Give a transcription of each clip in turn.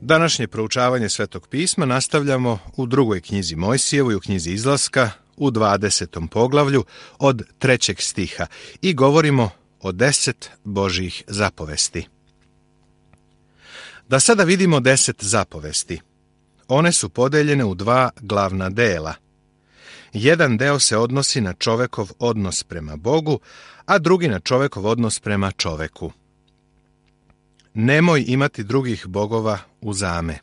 Današnje proučavanje Svetog pisma nastavljamo u drugoj knjizi Mojsijevoj, u knjizi Izlaska, u 20. poglavlju od 3. stiha i govorimo o 10 Božjih zapovesti. Da sada vidimo 10 zapovesti. One su podeljene u 2 glavna dela. Jedan deo se odnosi na čovekov odnos prema Bogu, a drugi na čovekov odnos prema čoveku. Nemoj imati drugih bogova uzame.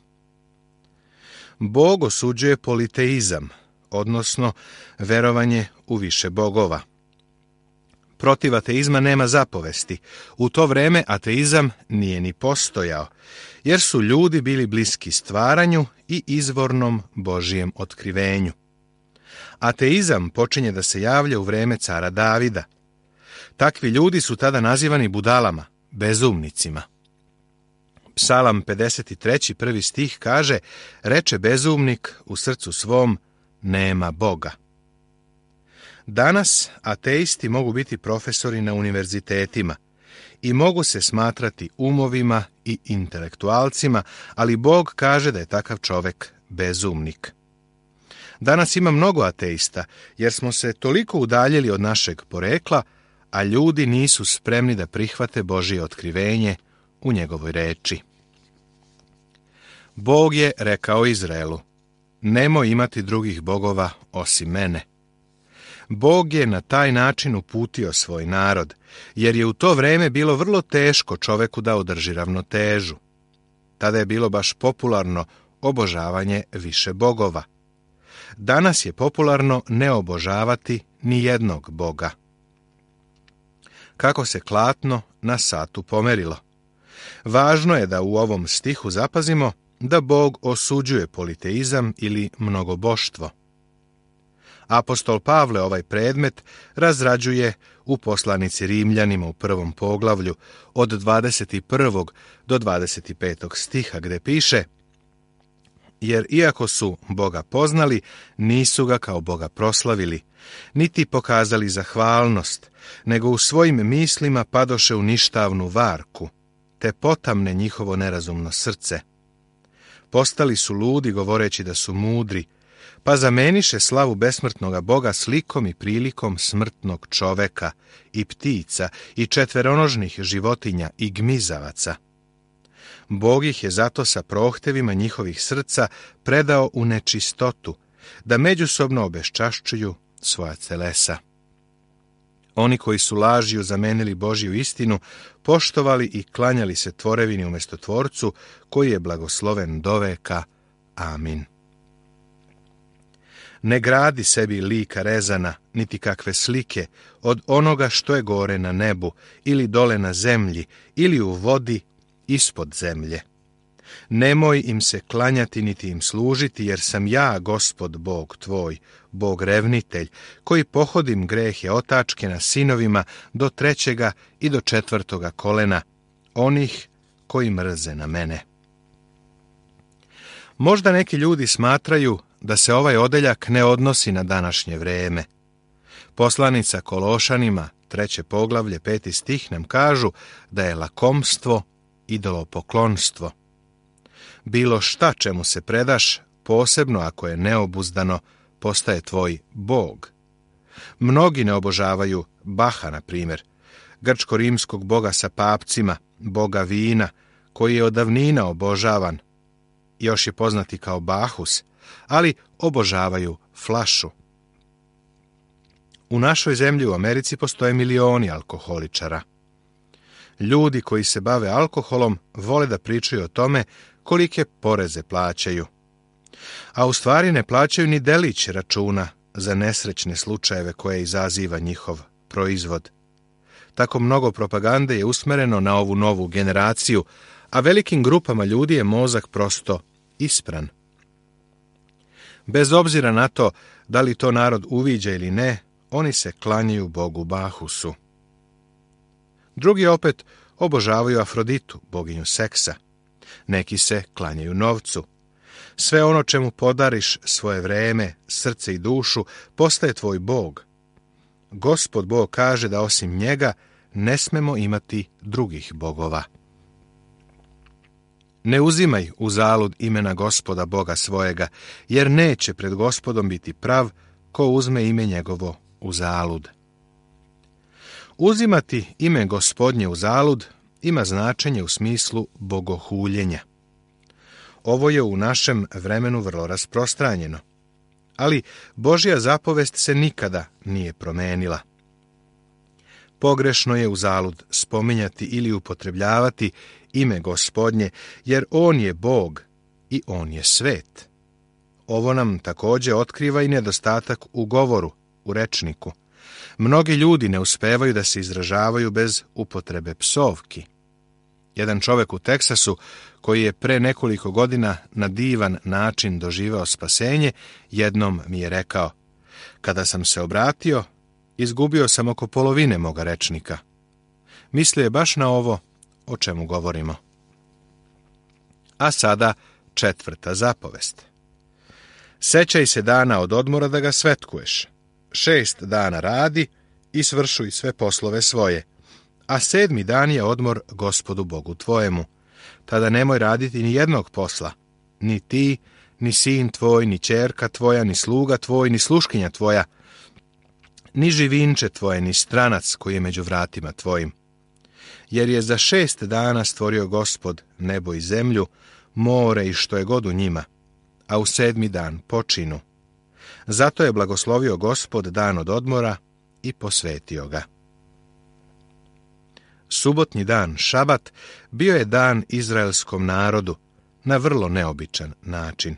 Bog osuđuje politeizam, odnosno verovanje u više bogova. Protiv ateizma nema zapovesti. U to vreme ateizam nije ni postojao, jer su ljudi bili bliski stvaranju i izvornom Božijem otkrivenju. Ateizam počinje da se javlja u vreme cara Davida. Takvi ljudi su tada nazivani budalama, bezumnicima. Psalam 53. 1. stih kaže: reče bezumnik u srcu svom, nema Boga. Danas ateisti mogu biti profesori na univerzitetima i mogu se smatrati umovima i intelektualcima, ali Bog kaže da je takav čovek bezumnik. Danas ima mnogo ateista, jer smo se toliko udaljili od našeg porekla, a ljudi nisu spremni da prihvate Božje otkrivenje u njegovoj reči. Bog je rekao Izraelu: nemoj imati drugih bogova osim mene. Bog je na taj način uputio svoj narod, jer je u to vreme bilo vrlo teško čoveku da održi ravnotežu. Tada je bilo baš popularno obožavanje više bogova. Danas je popularno ne obožavati ni jednog boga. Kako se klatno na satu pomerilo. Važno je da u ovom stihu zapazimo da Bog osuđuje politeizam ili mnogoboštvo. Apostol Pavle ovaj predmet razrađuje u poslanici Rimljanima u 1. poglavlju od 21. do 25. stiha, gde piše: jer iako su Boga poznali, nisu ga kao Boga proslavili, niti pokazali zahvalnost, nego u svojim mislima padoše u ništavnu varku, te potamne njihovo nerazumno srce. Postali su ludi govoreći da su mudri, pa zameniše slavu besmrtnoga Boga slikom i prilikom smrtnog čoveka i ptica i četveronožnih životinja i gmizavaca. Bog ih je zato sa prohtevima njihovih srca predao u nečistotu, da međusobno obeščašćuju svoja telesa. Oni koji su lažju zamenili Božju istinu, poštovali i klanjali se tvorevini umjesto Tvorcu, koji je blagosloven doveka. Amin. Ne gradi sebi lika rezana, niti kakve slike, od onoga što je gore na nebu, ili dole na zemlji, ili u vodi ispod zemlje. Nemoj im se klanjati niti im služiti, jer sam ja, Gospod Bog tvoj, Bog revnitelj, koji pohodim grehe otačke na sinovima do 3. i do 4. kolena, onih koji mrze na mene. Možda neki ljudi smatraju da se ovaj odeljak ne odnosi na današnje vreme. Poslanica Kološanima, 3. poglavlje, 5. stih nam kažu da je lakomstvo idolopoklonstvo. Bilo šta čemu se predaš, posebno ako je neobuzdano, postaje tvoj Bog. Mnogi ne obožavaju Baha, na primjer, grčko-rimskog boga sa papcima, boga vina, koji je od davnina obožavan, još je poznati kao Bahus, ali obožavaju flašu. U našoj zemlji u Americi postoje milioni alkoholičara. Ljudi koji se bave alkoholom vole da pričaju o tome kolike poreze plaćaju. A u stvari ne plaćaju ni delić računa za nesrećne slučajeve koje izaziva njihov proizvod. Tako mnogo propagande je usmereno na ovu novu generaciju, a velikim grupama ljudi je mozak prosto ispran. Bez obzira na to da li to narod uviđa ili ne, oni se klanjaju bogu Bahusu. Drugi opet obožavaju Afroditu, boginju seksa. Neki se klanjaju novcu. Sve ono čemu podariš svoje vreme, srce i dušu, postaje tvoj Bog. Gospod Bog kaže da osim njega ne smemo imati drugih bogova. Ne uzimaj uzalud imena Gospoda Boga svojega, jer neće pred Gospodom biti prav ko uzme ime njegovo uzalud. Uzimati ime Gospodnje uzalud ima značenje u smislu bogohuljenja. Ovo je u našem vremenu vrlo rasprostranjeno, ali Božja zapovest se nikada nije promenila. Pogrešno je uzalud spominjati ili upotrebljavati ime Gospodnje, jer On je Bog i On je svet. Ovo nam također otkriva i nedostatak u govoru, u rečniku. Mnogi ljudi ne uspevaju da se izražavaju bez upotrebe psovki. Jedan čovjek u Teksasu, koji je pre nekoliko godina na divan način doživeo spasenje, jednom mi je rekao: kada sam se obratio, izgubio sam oko polovine moga rečnika. Mislio je baš na ovo o čemu govorimo. A sada 4. zapovest. Sećaj se dana od odmora da ga svetkuješ. 6 dana radi i svršuj sve poslove svoje, a 7. dan je odmor Gospodu Bogu tvojemu. Tada nemoj raditi ni jednog posla, ni ti, ni sin tvoj, ni ćerka tvoja, ni sluga tvoj, ni sluškinja tvoja, ni živinče tvoje, ni stranac koji je među vratima tvojim. Jer je za 6 dana stvorio Gospod nebo i zemlju, more i što je god u njima, a u 7. dan počinu. Zato je blagoslovio Gospod dan od odmora i posvetio ga. Subotnji dan, šabat, bio je dan izraelskom narodu na vrlo neobičan način.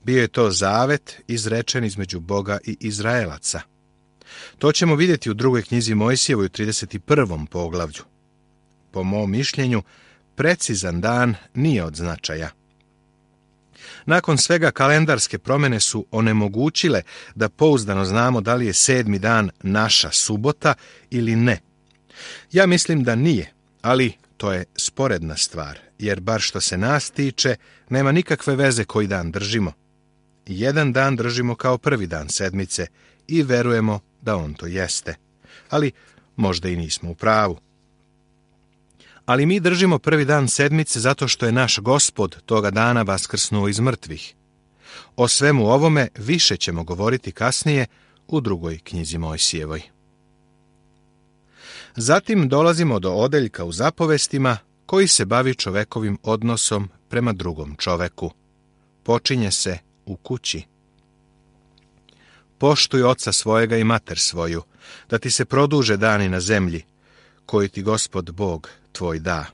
Bio je to zavet izrečen između Boga i Izraelaca. To ćemo vidjeti u 2. knjizi Mojsijevoj u 31. poglavlju. Po mom mišljenju, precizan dan nije od značaja. Nakon svega kalendarske promjene su onemogućile da pouzdano znamo da li je 7. dan naša subota ili ne. Ja mislim da nije, ali to je sporedna stvar, jer bar što se nas tiče, nema nikakve veze koji dan držimo. Jedan dan držimo kao prvi dan sedmice i verujemo da on to jeste. Ali možda i nismo u pravu. Ali mi držimo prvi dan sedmice zato što je naš Gospod toga dana vaskrsnuo iz mrtvih. O svemu ovome više ćemo govoriti kasnije u 2. knjizi Mojsijevoj. Zatim dolazimo do odeljka u zapovestima koji se bavi čovekovim odnosom prema drugom čoveku. Počinje se u kući. Poštuj oca svojega i mater svoju, da ti se produže dani na zemlji, koji ti Gospod Bog tvoj da.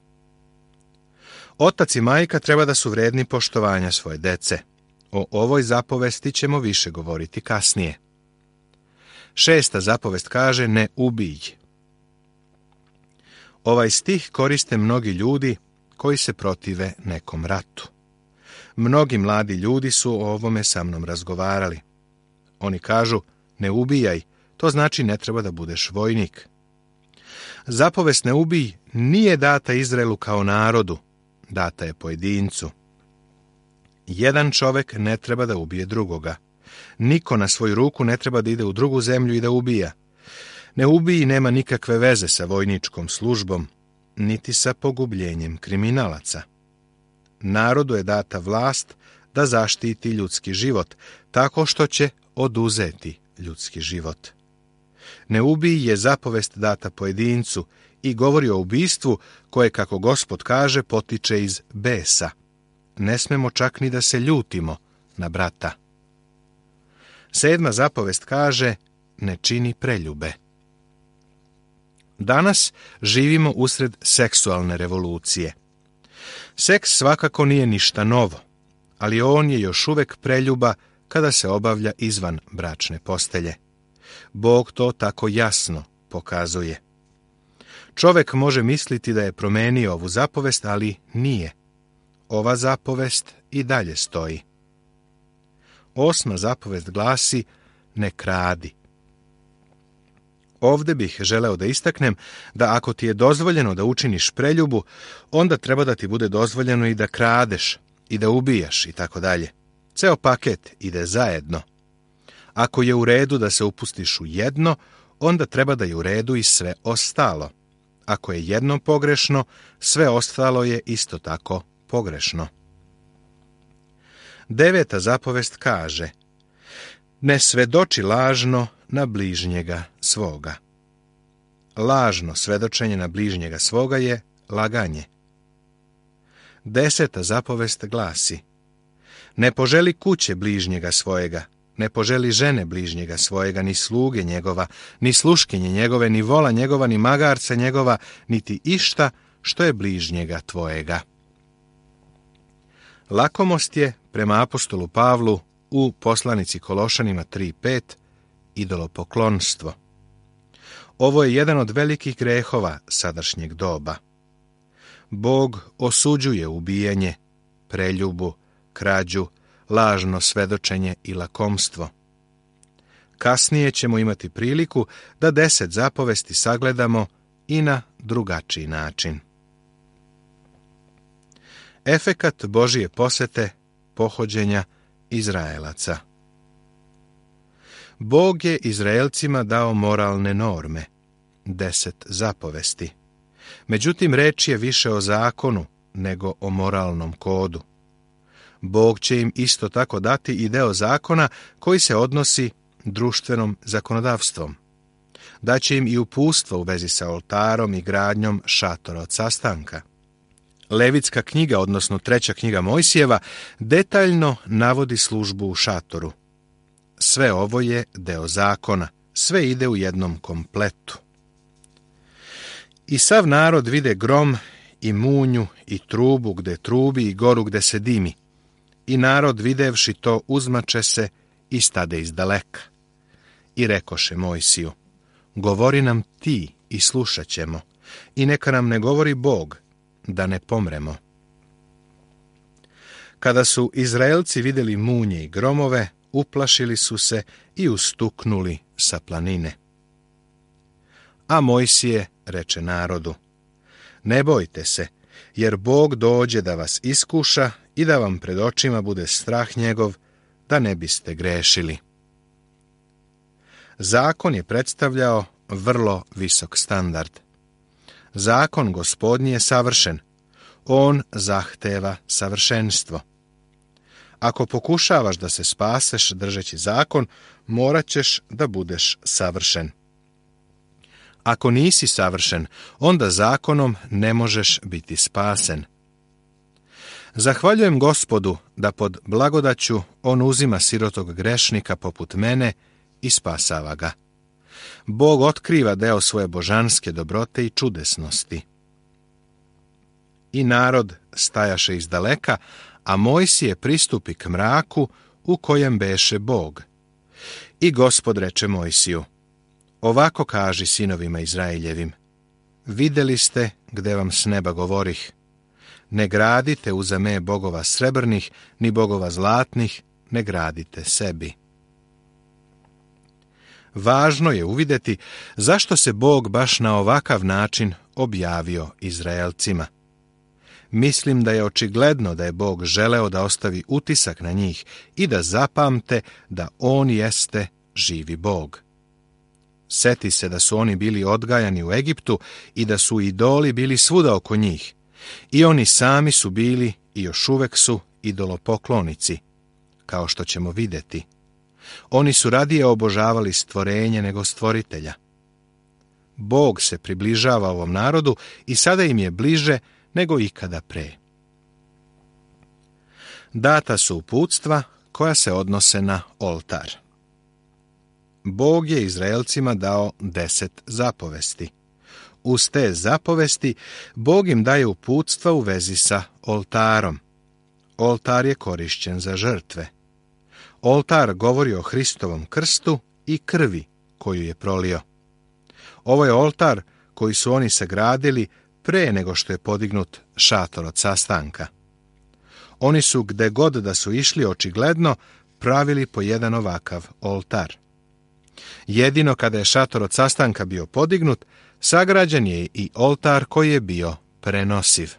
Otac i majka treba da su vredni poštovanja svoje dece. O ovoj zapovesti ćemo više govoriti kasnije. 6. zapovest kaže: ne ubij. Ovaj stih koriste mnogi ljudi koji se protive nekom ratu. Mnogi mladi ljudi su o ovome sa mnom razgovarali. Oni kažu: ne ubijaj, to znači ne treba da budeš vojnik. Zapovest ne ubij nije data Izraelu kao narodu, data je pojedincu. Jedan čovek ne treba da ubije drugoga. Niko na svoju ruku ne treba da ide u drugu zemlju i da ubija. Ne ubij nema nikakve veze sa vojničkom službom, niti sa pogubljenjem kriminalaca. Narodu je data vlast da zaštiti ljudski život, tako što će oduzeti ljudski život. Ne ubij je zapovest data pojedincu i govori o ubistvu koje, kako Gospod kaže, potiče iz besa. Ne smemo čak ni da se ljutimo na brata. 7. zapovest kaže: ne čini preljube. Danas živimo usred seksualne revolucije. Seks svakako nije ništa novo, ali on je još uvek preljuba kada se obavlja izvan bračne postelje. Bog to tako jasno pokazuje. Čovek može misliti da je promenio ovu zapovest, ali nije. Ova zapovest i dalje stoji. 8. zapovest glasi: ne kradi. Ovde bih želeo da istaknem da ako ti je dozvoljeno da učiniš preljubu, onda treba da ti bude dozvoljeno i da kradeš, i da ubijaš, i tako dalje. Ceo paket ide zajedno. Ako je u redu da se upustiš u jedno, onda treba da je u redu i sve ostalo. Ako je jedno pogrešno, sve ostalo je isto tako pogrešno. 9. zapovest kaže: ne svedoči lažno na bližnjega svoga. Lažno svedočenje na bližnjega svoga je laganje. 10. zapovest glasi: ne poželi kuće bližnjega svojega, ne poželi žene bližnjega svojega, ni sluge njegova, ni sluškinje njegove, ni vola njegova, ni magarca njegova, niti išta što je bližnjega tvojega. Lakomost je, prema apostolu Pavlu, u poslanici Kološanima 3.5, idolopoklonstvo. Ovo je jedan od velikih grehova sadašnjeg doba. Bog osuđuje ubijanje, preljubu, krađu, lažno svedočenje i lakomstvo. Kasnije ćemo imati priliku da 10 zapovesti sagledamo i na drugačiji način. Efekat Božije posete pohođenja Izraelaca. Bog je Izraelcima dao moralne norme, 10 zapovesti. Međutim, reč je više o zakonu nego o moralnom kodu. Bog će im isto tako dati i deo zakona koji se odnosi društvenom zakonodavstvom. Daće im i uputstvo u vezi sa oltarom i gradnjom šatora od sastanka. Levitska knjiga, odnosno 3. knjiga Mojsijeva, detaljno navodi službu u šatoru. Sve ovo je deo zakona, sve ide u jednom kompletu. I sav narod vide grom i munju i trubu gde trubi i goru gde se dimi. I narod videvši to uzmače se i stade izdaleka. I rekoše Mojsiju: govori nam ti i slušat ćemo, i neka nam ne govori Bog, da ne pomremo. Kada su Izraelci vidjeli munje i gromove, uplašili su se i ustuknuli sa planine. A Mojsije reče narodu: ne bojte se, jer Bog dođe da vas iskuša i da vam pred očima bude strah njegov, da ne biste grešili. Zakon je predstavljao vrlo visok standard. Zakon Gospodnji je savršen. On zahteva savršenstvo. Ako pokušavaš da se spaseš držeći zakon, morat ćeš da budeš savršen. Ako nisi savršen, onda zakonom ne možeš biti spasen. Zahvaljujem Gospodu da pod blagodaću on uzima sirotog grešnika poput mene i spasava ga. Bog otkriva deo svoje božanske dobrote i čudesnosti. I narod stajaše izdaleka, a Mojsije pristupi k mraku u kojem beše Bog. I Gospod reče Mojsiju: ovako kaži sinovima Izraeljevim: videli ste gde vam s neba govorih. Ne gradite uza me bogova srebrnih, ni bogova zlatnih, ne gradite sebi. Važno je uvidjeti zašto se Bog baš na ovakav način objavio Izraelcima. Mislim da je očigledno da je Bog želeo da ostavi utisak na njih i da zapamte da on jeste živi Bog. Seti se da su oni bili odgajani u Egiptu i da su idoli bili svuda oko njih. I oni sami su bili i još uvek su idolopoklonici, kao što ćemo vidjeti. Oni su radije obožavali stvorenje nego stvoritelja. Bog se približava ovom narodu i sada im je bliže nego ikada pre. Data su uputstva koja se odnose na oltar. Bog je Izraelcima dao 10 zapovesti. Uz te zapovesti Bog im daje uputstva u vezi sa oltarom. Oltar je korišćen za žrtve. Oltar govori o Hristovom krstu i krvi koju je prolio. Ovo je oltar koji su oni sagradili pre nego što je podignut šator od sastanka. Oni su gde god da su išli očigledno pravili po jedan ovakav oltar. Jedino kada je šator od sastanka bio podignut, sagrađen je i oltar koji je bio prenosiv.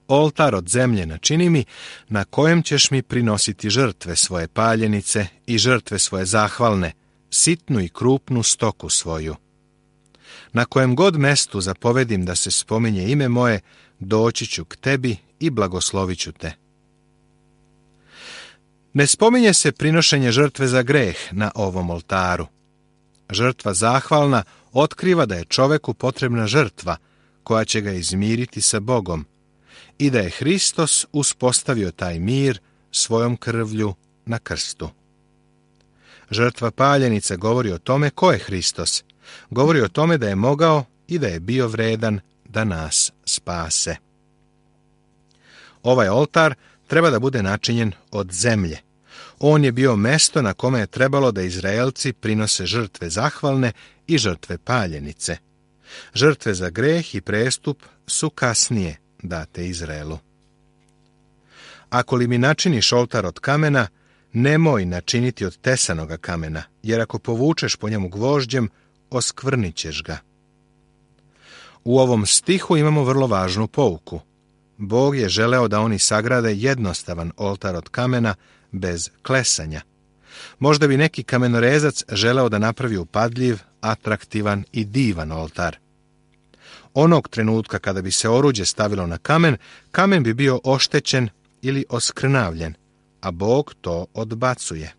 Oltar od zemlje načini mi, na kojem ćeš mi prinositi žrtve svoje paljenice i žrtve svoje zahvalne, sitnu i krupnu stoku svoju. Na kojem god mestu zapovedim da se spominje ime moje, doći ću k tebi i blagoslovit ću te. Ne spominje se prinošenje žrtve za greh na ovom oltaru. Žrtva zahvalna otkriva da je čoveku potrebna žrtva koja će ga izmiriti sa Bogom i da je Hristos uspostavio taj mir svojom krvlju na krstu. Žrtva paljenice govori o tome ko je Hristos. Govori o tome da je mogao i da je bio vredan da nas spase. Ovaj oltar treba da bude načinjen od zemlje. On je bio mesto na kome je trebalo da Izraelci prinose žrtve zahvalne i žrtve paljenice. Žrtve za greh i prestup su kasnije date Izraelu. Ako li mi načiniš oltar od kamena, nemoj načiniti od tesanoga kamena, jer ako povučeš po njemu gvožđem, oskvrnit ćeš ga. U ovom stihu imamo vrlo važnu pouku. Bog je želeo da oni sagrade jednostavan oltar od kamena bez klesanja. Možda bi neki kamenorezac želeo da napravi upadljiv, atraktivan i divan oltar. Onog trenutka kada bi se oruđe stavilo na kamen, kamen bi bio oštećen ili oskrnavljen, a Bog to odbacuje.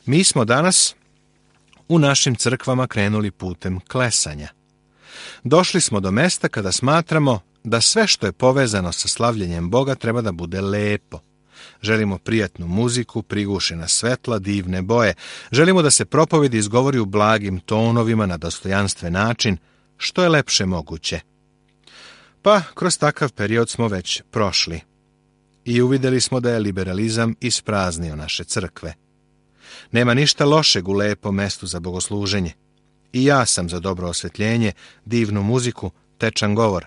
Mi smo danas u našim crkvama krenuli putem klesanja. Došli smo do mesta kada smatramo da sve što je povezano sa slavljenjem Boga treba da bude lepo. Želimo prijatnu muziku, prigušena svetla, divne boje. Želimo da se propovedi izgovori u blagim tonovima na dostojanstven način, što je lepše moguće. Pa, kroz takav period smo već prošli. I uvidjeli smo da je liberalizam ispraznio naše crkve. Nema ništa lošeg u lepom mestu za bogosluženje. I ja sam za dobro osvetljenje, divnu muziku, tečan govor.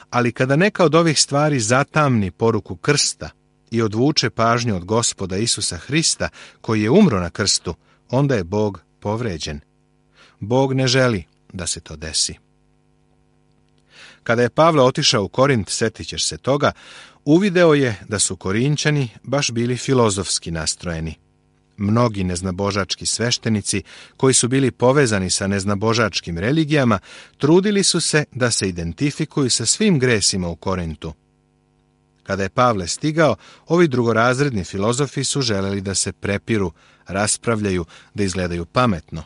Ali kada neka od ovih stvari zatamni poruku krsta i odvuče pažnju od Gospoda Isusa Hrista, koji je umro na krstu, onda je Bog povređen. Bog ne želi da se to desi. Kada je Pavle otišao u Korint, setit ćeš se toga, uvideo je da su Korinćani baš bili filozofski nastrojeni. Mnogi neznabožački sveštenici, koji su bili povezani sa neznabožačkim religijama, trudili su se da se identifikuju sa svim gresima u Korintu. Kada je Pavle stigao, ovi drugorazredni filozofi su želeli da se prepiru, raspravljaju, da izgledaju pametno.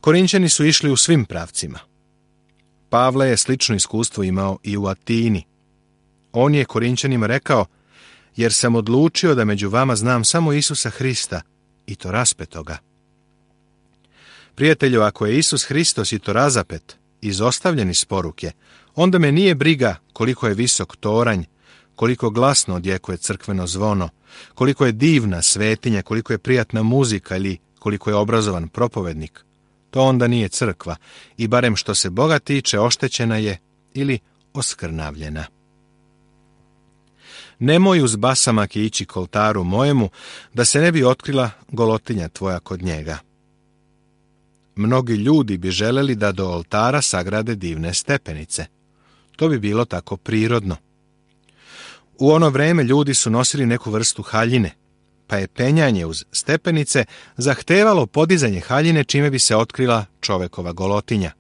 Korinćani su išli u svim pravcima. Pavle je slično iskustvo imao i u Atini. On je Korinćanima rekao, jer sam odlučio da među vama znam samo Isusa Hrista, i to raspetoga. Prijatelju, ako je Isus Hristos i to razapet, izostavljen iz poruke, onda me nije briga koliko je visok toranj, koliko glasno odjekuje crkveno zvono, koliko je divna svetinja, koliko je prijatna muzika ili koliko je obrazovan propovednik. To onda nije crkva i barem što se Boga tiče oštećena je ili oskrnavljena. Nemoj uz basamake ići k oltaru mojemu, da se ne bi otkrila golotinja tvoja kod njega. Mnogi ljudi bi želeli da do oltara sagrade divne stepenice. To bi bilo tako prirodno. U ono vreme ljudi su nosili neku vrstu haljine, pa je penjanje uz stepenice zahtevalo podizanje haljine čime bi se otkrila čovekova golotinja.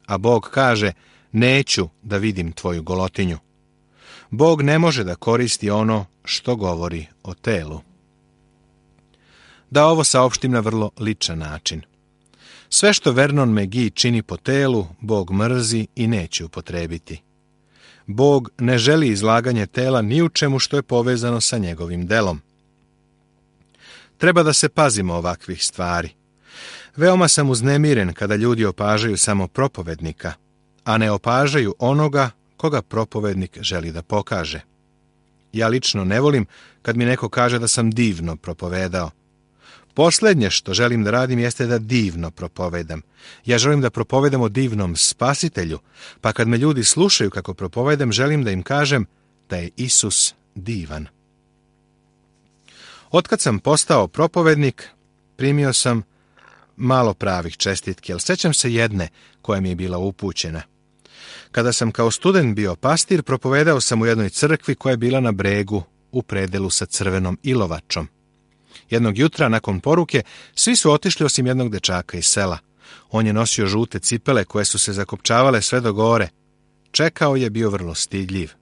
A Bog kaže, neću da vidim tvoju golotinju. Bog ne može da koristi ono što govori o telu. Da ovo saopštim na vrlo ličan način. Sve što Vernon McGee čini po telu, Bog mrzi i neće upotrebiti. Bog ne želi izlaganje tela ni u čemu što je povezano sa njegovim delom. Treba da se pazimo ovakvih stvari. Veoma sam uznemiren kada ljudi opažaju samo propovednika, a ne opažaju onoga koga propovednik želi da pokaže. Ja lično ne volim kad mi neko kaže da sam divno propovedao. Posljednje što želim da radim jeste da divno propovedam. Ja želim da propovedam o divnom Spasitelju, pa kad me ljudi slušaju kako propovedam, želim da im kažem da je Isus divan. Otkad sam postao propovednik, primio sam malo pravih čestitki, ali sećam se jedne koja mi je bila upućena. Kada sam kao student bio pastir, propovedao sam u jednoj crkvi koja je bila na bregu u predelu sa crvenom ilovačom. Jednog jutra, nakon poruke, svi su otišli osim jednog dečaka iz sela. On je nosio žute cipele koje su se zakopčavale sve do gore. Čekao je, bio vrlo stidljiv.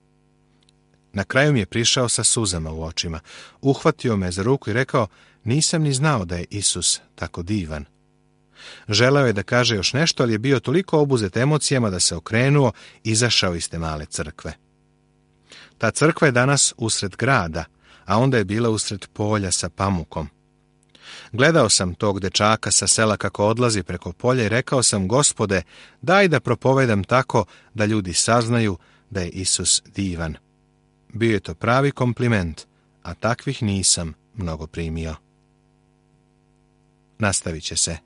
Na kraju mi je prišao sa suzama u očima. Uhvatio me za ruku i rekao, nisam ni znao da je Isus tako divan. Želeo je da kaže još nešto, ali je bio toliko obuzet emocijama da se okrenuo i izašao iz te male crkve. Ta crkva je danas usred grada, a onda je bila usred polja sa pamukom. Gledao sam tog dečaka sa sela kako odlazi preko polja i rekao sam, Gospode, daj da propovedam tako da ljudi saznaju da je Isus divan. Bio je to pravi kompliment, a takvih nisam mnogo primio. Nastavit će se.